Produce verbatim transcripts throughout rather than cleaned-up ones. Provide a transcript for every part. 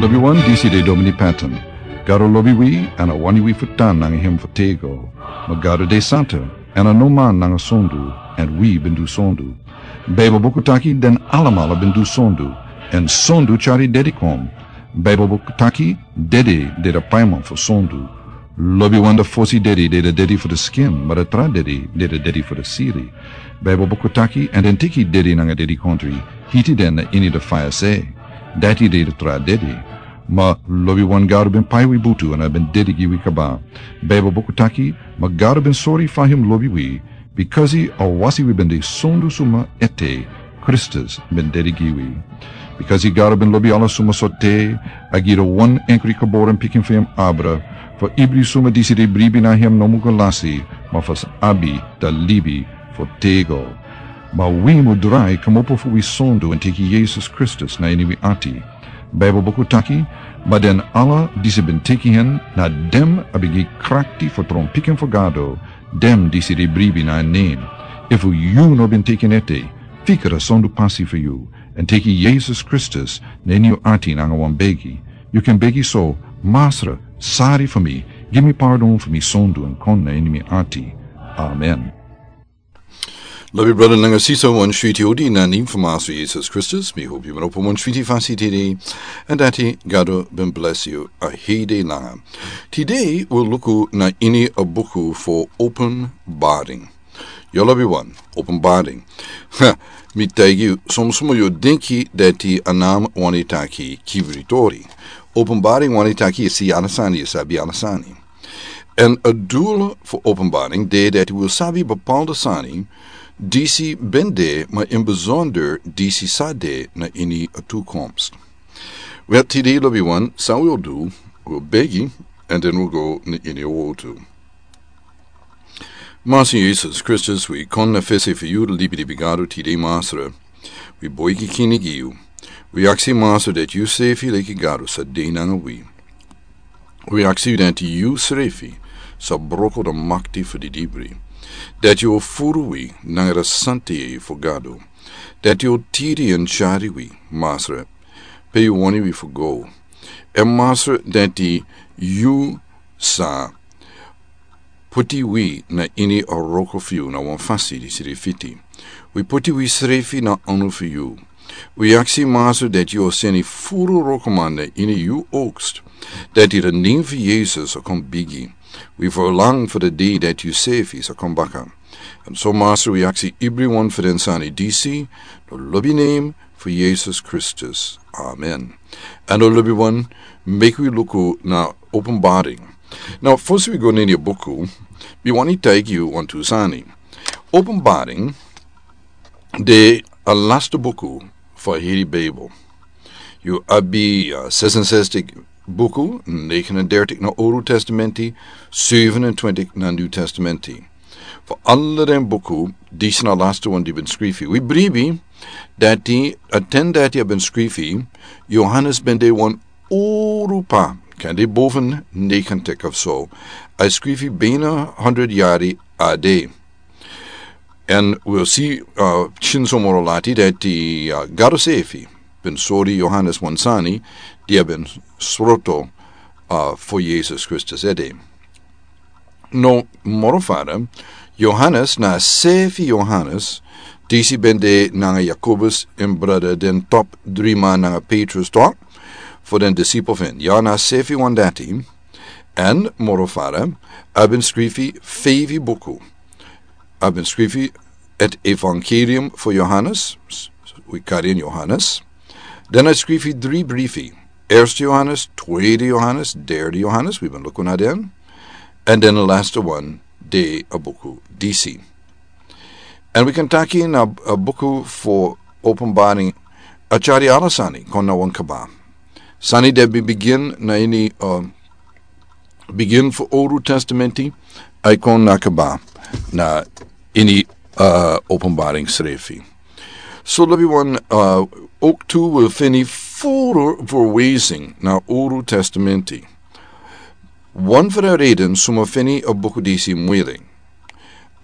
Lobiwan, disi de Domini Patton. Gado lobi wi, èn a wani wi fu tan nanga hem fu tego. Ma Gado de santa, èn a no man nanga sondu, èn wi ben du sondu. Baibel buku taki den alamala ben du sondu, èn sondu tyari dedi kon. Baibel buku taki dedi de a paiman fu sondu. Lobiwan, a fosi dedi de a dedi fu a skin, ma a tra dedi de a dedi fu a siri. Baibel buku taki, èn den teki dedi nanga dedikontri, hiti den na ini a faya se. Dati de a tra dedi. Ma lobiwan, Gado ben pai wi butu èn a ben dedi gi wi kaba. Baibel buku taki, ma Gado ben sori fa hem lobi wi, bikasi a wasi wi ben de sondu suma ete, Kristus ben dedi gi wi. Bikasi Gado ben lobi ala suma sortu, a gi a wan enkri geboren pikin fu hem abra, fu ibri suma disi de bribi na hem no mu go lasi, ma fu sa abi a libi fu tego. Ma wi mu drai kmopo fu wi sondu èn teki Yesus Kristus na ini wi ati. Baibel buku taki, ma den ala disi ben teki hen, na den a ben gi krakti fu tron pikin fu Gado, den disi de bribi na en nen. Efu yu no ben teki en ete, fika a sondu pasi fu yu, èn teki Yesus Kristus na ini yu ati nanga wan begi. Yu kan begi so: Masra, sori fu mi, gi mi pardon fu mi sondu èn kon na ini mi ati. Amen. Lobi brada nanga sisa, wan switi odi na nen fu Masra Yesus Kristus. Mi hopi yu ben opo wan switi fasi tide, èn dati Gado ben blesi yu a hei dei langa. Tide wi o luku na ini a buku fu Openbaring. Yu lobiwan, Openbaring. Ha, mi taigi yu, son suma yu o denki dati a nen wani taki kibri tori. Openbaring wani taki yu si ala sani, yu sabi ala sani. Èn a doel fu Openbaring de dati wi o sabi bepaalde sani disi ben de, ma in bijzonder disi sa de na ini a toekomst. Wel, tide lobiwan, san wi o du, wi o begi, èn den wi o go na ini a wotu. Masra Yesus Kristus, wi kon na fesi fu yu, libidi bigadu, tide Masra. Wi begi, Kinigi, yu. Wi aksi, Masra, dati yu srefi leki Gado sa de nanga wi. Wi aksi yu dati yu srefi sa broko a makti fu didibri. Dati yu o furu wi nanga a santa yeye fu Gado. Dati yu o tiri èn tyari wi, Masra, pe yu wani wi fu go. Èn Masra, dati yu sa poti wi na ini a wroko fu yu na wan fasi disi de fiti. Wi poti wi srefi na anu fu yu. Wi aksi, Masra, dati yu o seni furu wrokoman na ini yu oogst, dati a nen fu Yesus sa kon bigi. Wi ferlang fu a dei dati yu srefi sa kon baka. Èn so, Masra, wi aksi ibriwan fu den sani disi, na lobi nen fu Yesus Kristus. Amen. Èn lobiwan, meki wi luku na Openbaring. Now, fosi wi go na ini a buku, mi wani taigi yu wantu sani. Openbaring de a laste buku fu a heri Bijbel. Yu abi, uh, zesenzestig buku, negenendertig na Olu Testamenti, zevenentwintig na New Testamenti. Fu ala den buku, disi na a laste wan di ben skrifi. Wi bribi dati a ten dati a ben skrifi, Johannes ben de wan olu p'pa, kande boven negentig of so. A skrifi bijna honderd yari A D. Èn wi o si, uh, pikinso moro lati dati, uh, Gado srefi ben sori Johannes wan sani di a ben sroto, uh, fu Yesus Kristus ede. No, moro fara, Johannes na a srefi Johannes disi ben de nanga Jakobus, en brada, den top driman nanga Petrus, toch, fu den disipel fu en. Ya, na a srefi wan dati. Èn moro fara, a ben skrifi feifi buku. A ben skrifi het Evangelium fu Johannes, s-, s-, wi kari en Johannes. Den a skrifi dri brifi. Eerste Johannes, tweede Johannes, derde Johannes, wi ben luku na den. Èn den a laste wan de a buku disi. Èn wi kan taki na a buku fu Openbaring a tyari ala sani kon na wan kaba. Sani di ben bigin na ini, uh, bigin fu Olu Testamenti, a e kon na kaba na ini, uh, Openbaring srefi. So lobiwan, uh, ook tu wi feni furu verwijzing na Olu Testamenti. Wan fu den reden suma feni a buku disi muilik.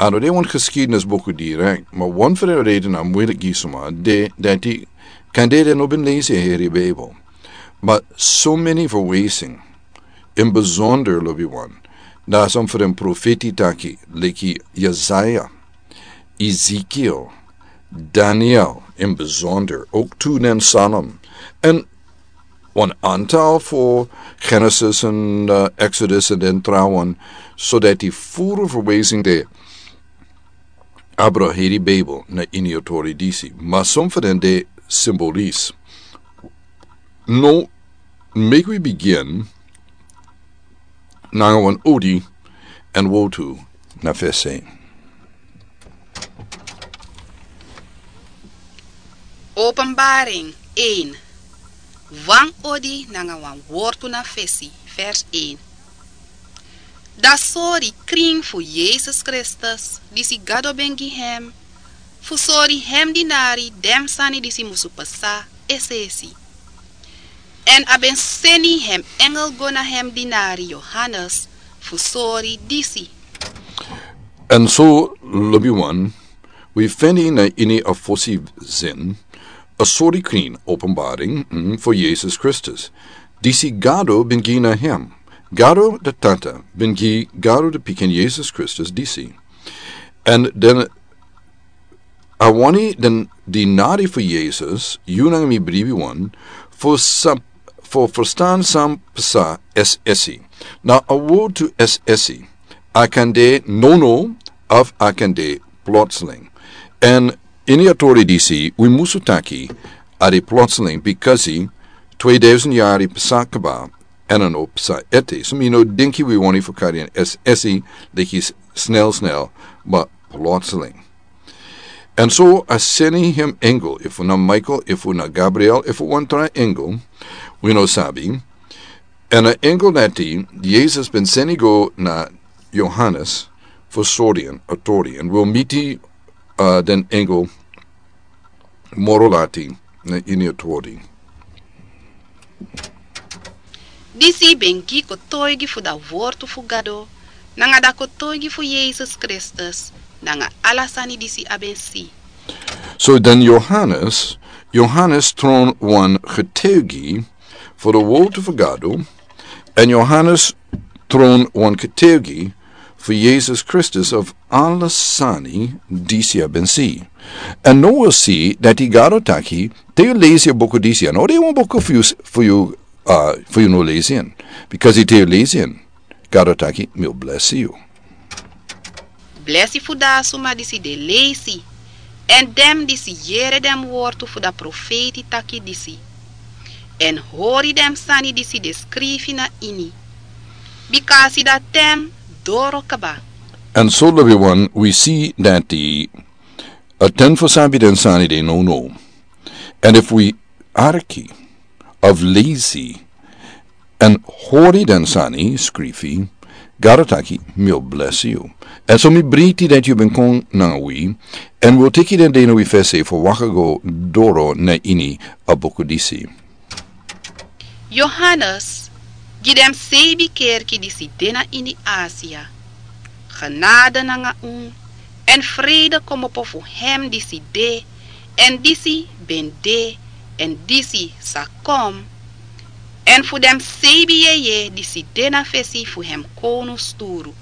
A no de wan geschiedenis buku direct, ma wan fu den reden a muilik gi suma de dati kande den no ben lesi a heri Bijbel. Ma someni verwijzing, in bijzonder, lobi wan, na son fu den profeti taki leki Jesaja, Ezekiel, Daniel, in bijzonder ook tu den Psalm, en wan aantal fu Genesis en, eh, Exodus en den trawan, zodat die voere verwijzing de abra heri Bijbel na ini a tori disi, ma son fu den de symbolis. No, make we begin nanga wan odi en wotu na fesi. Openbaring één. Wan odi nanga wan wortu na fesi, vers één. Dan sori krin fu Yesus Kristus, disi Gado ben gi hem, fu sori hem dinari den sani disi musu pasa es'esi. En a ben seni hem engel go na hem dinari Johannes, fu sori disi. En so, lobi wan, wi feni na ini a fosi zin, a sori krin, openbaring, mm, fu Yesus Kristus. Disi Gado ben gi na hem. Gado de Tata ben gi Gado de Pikin Yesus Kristus disi. En den a wani den dinari fu Yesus, yu nanga mi bribi wan, fu sa-, fu verstan san pasa es'esi. Na a wotu es'esi. A kan de nono, of a kan de plotseling. En ini a tori disi, wi musu taki, a de plotseling, because twee duizend yari pasa kaba, en a no pasa ete. So mi no denki wi wani fu kari en es'esi, leki s-, snel, snel, ma plotseling. En so a seni hem engel, efu na Michael, efu na Gabriel, efu wan tra engel, wi no sabi. En a engel dati, Yesus ben seni go na Johannes, fu sori en a tori. En wi o miti, uh, den engel moro lati na ini a tori. Disi ben gi kotoigi fu da wortu fu Gado, nanga da kotoigi fu Yesus Kristus, nanga ala sani disi a ben si. So dan Johannes, Johannes tron wan getuigi fu da wortu fu Gado, en Johannes tron wan getuigi fu Yesus Kristus of ala sani disi a ben si. En no wi si dati Gado taki, te yu lesi a buku disi, en no de wan buku fu yu, fu yu, uh, fu yu no lesi en. Because te yu lesi en, Gado taki, mi o blesi yu. Blesi fu da suma disi de lesi, en den disi yere den wortu fu da profeti taki disi, en hori den sani disi de skrifi na ini. Bika a si da ten doro kaba. En so lobi wan, wi si dati a ten fu sabi den sani de nono. En efu wi arki, of lesi, en hori den sani skrifi, Gado taki, mi o blesi yu. En so mi breiti dati yu ben kon nanga wi, en wi o teki den dei na wi fesi fu waka go doro na ini a buku disi. Johannes, gi den seibi kerki disi de na ini Asia. Genade nanga un, en vrede komopo fu hem disi de, en disi ben de, en disi sa kon, en fu den seibi yeye disi de na fesi fu hem kownu sturu.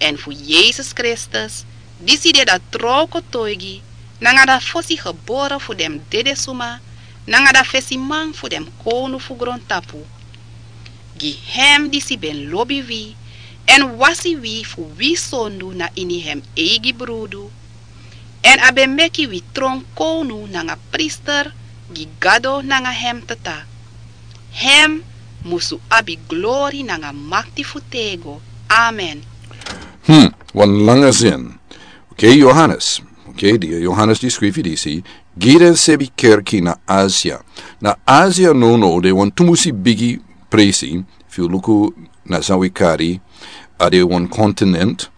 En fu Yesus Kristus, disi de da tron kotoigi, nanga da fosi gebore fu den dede suma, nanga da fesiman fu den kownu fu grontapu. Gi hem disi ben lobi wi, en wasi wi fu wi sondu na ini hem eigi brudu, en a ben meki wi tron kownu nanga priester, gi Gado nanga hem Tata. Hem musu abi glori nanga makti fu tego. Amen. Hmm, wan langa zin. Oké, Johannes. Oké, di Johannes di skrifi disi, gi den seibi kerki na Asia. Na Asia nono de wan tumusi bigi presi, fu luku na san wi kari, a de wan continent.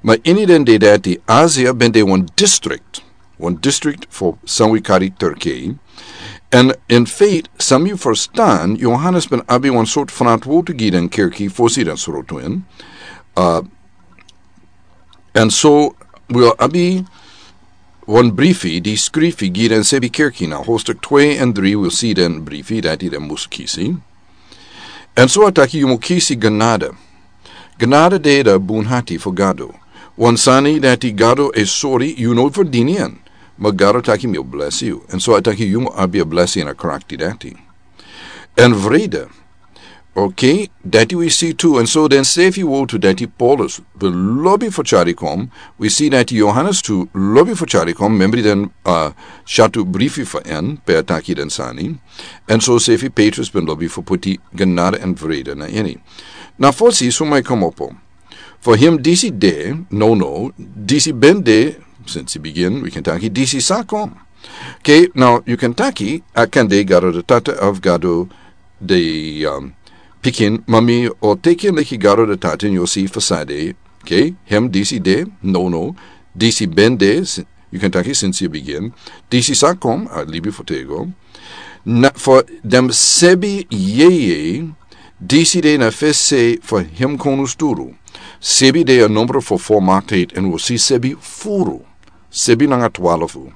Ma ini den dei dati Asia ben de wan district. Wan district fu san wi kari Turkije. En in feite, san mi verstan, Johannes ben abi wan sort verantwoord gi den kerki fosi den srotu en. Uh, en so wi o abi wan brifi di skrifi gi den sebi kerki na hostuk twe en dri, wi si den brifi dati den mus kisi. En so a taki yu mu kisi genade. Genade de da bun hati fu Gado. Wan sani dati Gado e sori yu no ferdini en. Ma Gado taki mi o blesi yu. En so a taki yu mu abi a blesi en a krakti dati. En vrede. Ok, dati wi si tu. En so den sefi wotu dati Paulus ben lobi fu tyari kon. Wi si dati Johannes tu lobi fu tyari kon. Membri den, uh, syatu brifi fu en pe a taki den sani. En so sefi Petrus ben lobi fu puti genade en vrede na ini. Na fosi suma e komopo. Fu him disi de, no, no, disi ben de, sinsi bigin, wi kan taki disi sa kon. Ok, now, yu kan taki, a kan de Gado de tata of Gado de, um, pikin, ma mi o teki en leki Gado de tata, en yu o si fu sa de, ok, him disi de, no, no, disi ben de, si-, yu kan taki sinsi bigin, disi sa kon, a libi fu tego. Na, fu den sebi yeye, disi de na fesi fu him konu sturu. Sebi de a nombro fu volmaktheid, en wi o si sebi furu. Sebi nanga twarfu.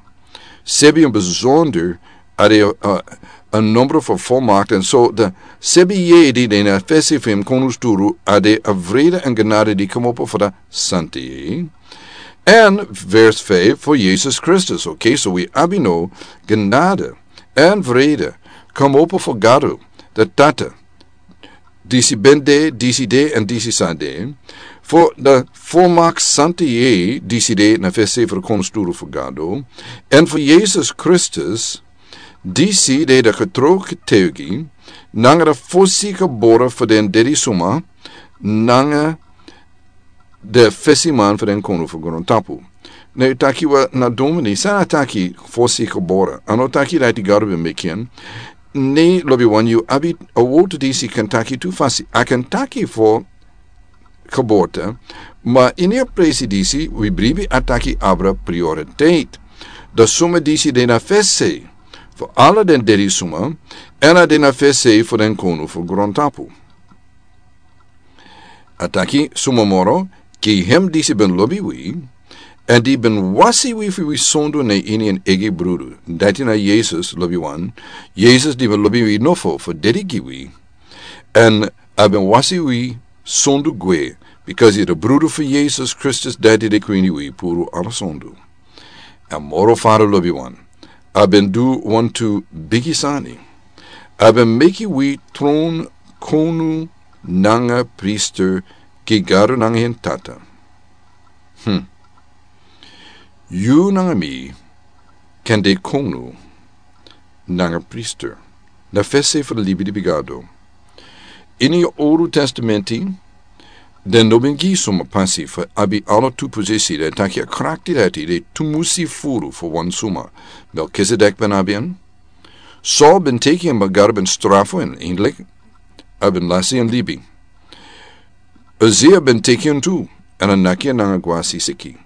Sebi en besonder a de, uh, a nombro fu volmakt. En so de sebi yeye di de na fesi fu him konu sturu a de a vrede en genade di komopo fu de santa yeye. En vers vijf fu Jesus Kristus. Ok, so wi abi no genade en vrede komopo fu Gado de tata. Disi ben de, disi de, en disi sa de. Fu de volmakt santa yeye, disi de na fesi fu konu sturu fu Gado. En fu Jesus Kristus, disi de de getro getuigi, nanga de fosi gebore fu den dedi suma, nanga de fesi man fu den konu fu grontapu. Ne taki wi na domini, san a taki fosi gebore. A no taki dati Gado ben meki en. Ne lobi wan yu abi a wotu disi kan taki tu fasi. A kan taki fu geboorte, ma ini a presi disi, wi bribi a taki abra prioriteit. De suma disi de na fesi fu ala den dedi suma, en a de na fesi fu den konu fu grontapu. A taki suma moro, gi hem disi ben lobi wi, en di ben wasi wi fu wi sondu na ini en egi brudu. Dati na Jesus lobi wan. Jesus di ben lobi wi nofo fu dedi gi wi. En a ben wasi wi sondu gwe, because yu de brudu fu Jesus Kristus dati de kwini wi puru ala sondu. A moro fada lobi wan. A ben du wantu bigi sani. A ben meki wi tron konu nanga priester gi Gado nanga en Tata. Hmm. Yu nanga mi kan de konu nanga priester. Na fesi fu de libi di bigado. Ini Olu Testamenti, den no ben gi suma pasi fu abi ala tu posisi, den taki a krakti dati de tumusi furu fu wan suma. Melkizedek ben abi en. Saul ben teki en, ma Gado ben strafu en, eindelijk a ben lasi en libi. Uzia ben teki en tu, en a naki en nanga gwasi siki.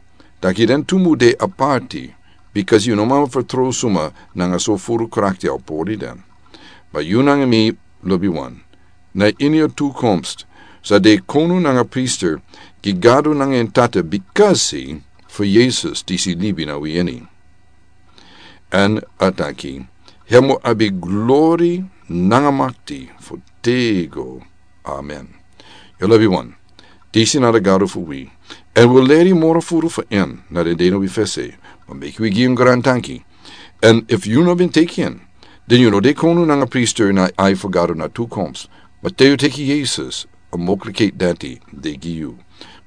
Taki den tu mu de aparti, because yu no man fertrouw suma nanga so furu krakti a pori den. Ma yu nanga mi lobi wan. Na ini a toekomst sa de konu nanga priester gi Gado nanga en Tata, because fu Jesus disi libi na wi ini. En a taki, hem o abi glori nanga makti fu tego. Amen. Yu lobi wan. Disi na de Gado fu wi. En wi leri moro furu fu en na den dei na wi fesi. Ma meki wi gi en grantanki. En efu yu no ben teki en, den yu no de konu nanga priester na ai fu Gado na toekomst. Ma te yu teki Jesus, a mogelijkheid dati de gi yu.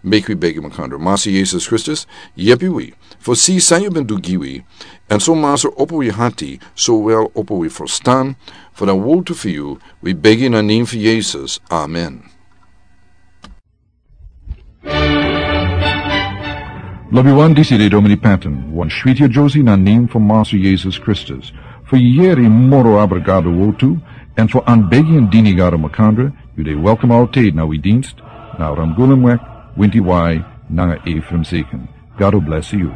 Meki wi begi makandra. Masa Jesus Kristus, yepi wi fu si san yu ben du gi wi. En so Masa, opo wi hati, so wel opo wi ferstan fu den woltu fu yu. Wi begi na nen fu Jesus. Amen. Lobi wan, disi de Domini Patton, wan switi a Josie na nen fu Masa Jesus Kristus. Fu yeri moro abra Gado woltu, en fu anbegi en dini Gado makandra, yu de welkom altijd na wi dienst, na Ramgulumweg, Winti Wai, nanga Ephraim Seken. Gado blesi yu.